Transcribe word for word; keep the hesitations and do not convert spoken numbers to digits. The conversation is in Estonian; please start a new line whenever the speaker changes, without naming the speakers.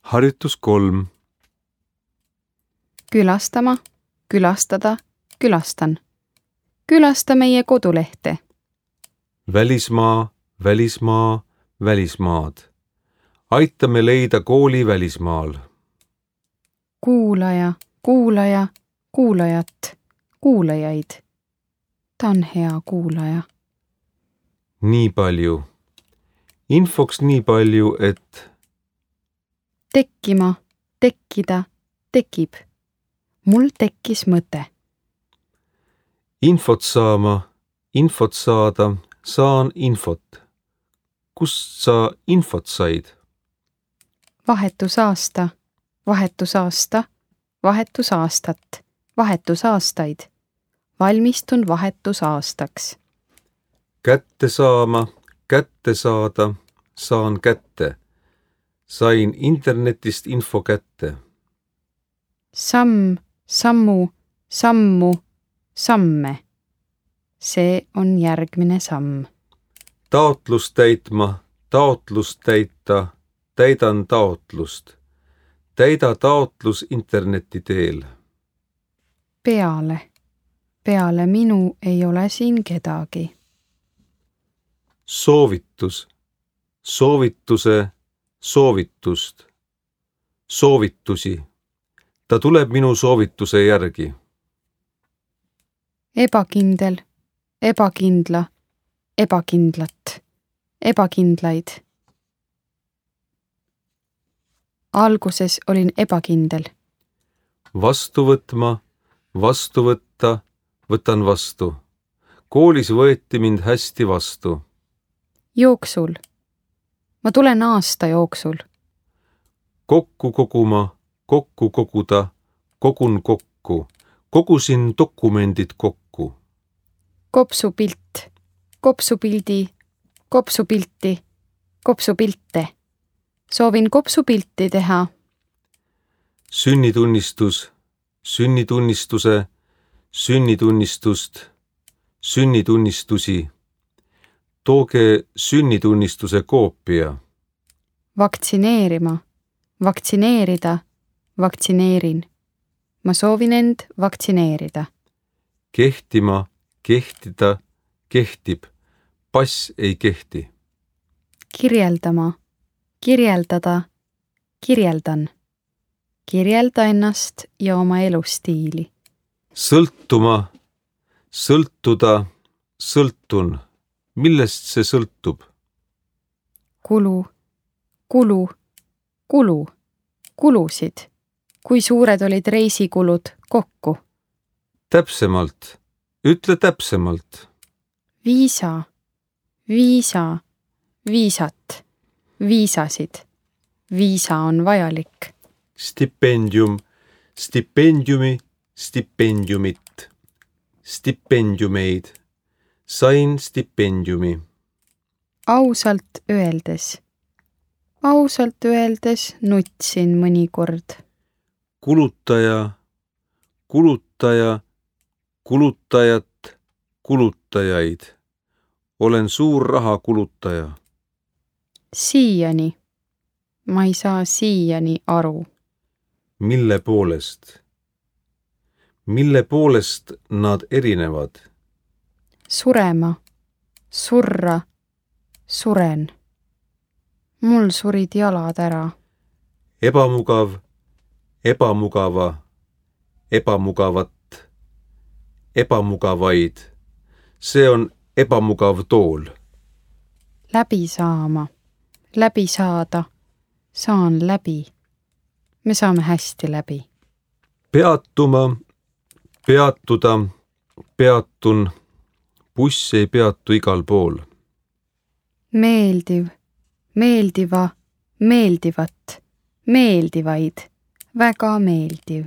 Harjutus kolm.
Külastama, külastada, külastan. Külasta meie kodulehte.
Välismaa, välismaa, välismaad. Aitame leida kooli välismaal.
Kuulaja, kuulaja, kuulajat, kuulajaid. Ta on hea kuulaja.
Nii palju. Infoks nii palju, et
Tekkima, tekkida, tekib. Mul tekkis mõte.
infot saama, infot saada, saan infot. Kust sa infot said?
Vahetusaasta, vahetusaasta, vahetusaastat, vahetusaastaid. Valmistun vahetusaastaks.
Kätte saama, kätte saada, saan kätte. Sain internetist info kätte.
Samm, sammu, sammu, samme. See on järgmine samm.
Taotlust täitma, taotlust täita, täidan taotlust. Täida taotlus interneti teel.
Peale, peale minu ei ole siin kedagi.
Soovitus, soovituse, soovitust, soovitusi. Ta tuleb minu soovituse järgi.
Ebakindel, ebakindla, ebakindlat, ebakindlaid. Alguses olin ebakindel.
Vastu võtma, vastu võtta, võtan vastu. Koolis võeti mind hästi vastu.
Jooksul. Ma tulen aasta jooksul.
Kokku koguma, kokku koguda, kogun kokku. Kogusin dokumendid kokku.
Kopsupilt, kopsupildi, kopsupilti, kopsupilte. Soovin kopsupilti teha.
Sünnitunnistus, sünnitunnistuse, sünnitunnistust, sünnitunnistusi. Tooge sünnitunnistuse koopia.
Vaktsineerima, vaktsineerida, vaktsineerin. Ma soovin end vaktsineerida.
Kehtima, kehtida, kehtib. Pass ei kehti.
Kirjeldama, kirjeldada, kirjeldan. Kirjelda ennast ja oma elustiili.
Sõltuma, sõltuda, sõltun. Millest see sõltub?
Kulu, kulu, kulu, kulusid. Kui suured olid reisikulud kokku?
Täpsemalt, ütle täpsemalt.
Viisa, viisa, viisat, viisasid. Viisa on vajalik.
Stipendium, stipendiumi, stipendiumit. Stipendiumeid. Sain stipendiumi.
Ausalt öeldes. Ausalt öeldes nutsin mõnikord.
Kulutaja, kulutaja, kulutajat, kulutajaid. Olen suur raha kulutaja.
Siiani. Ma ei saa siiani aru.
Mille poolest? Mille poolest nad erinevad?
Surema, surra, suren. Mul surid jalad ära.
Ebamugav, ebamugava, ebamugavat, ebamugavaid. See on ebamugav tool.
Läbi saama, läbi saada, saan läbi. Me saame hästi läbi.
Peatuma, peatuda, peatun. Buss ei peatu igal pool.
Meeldiv, meeldiva, meeldivat, meeldivaid, väga meeldiv.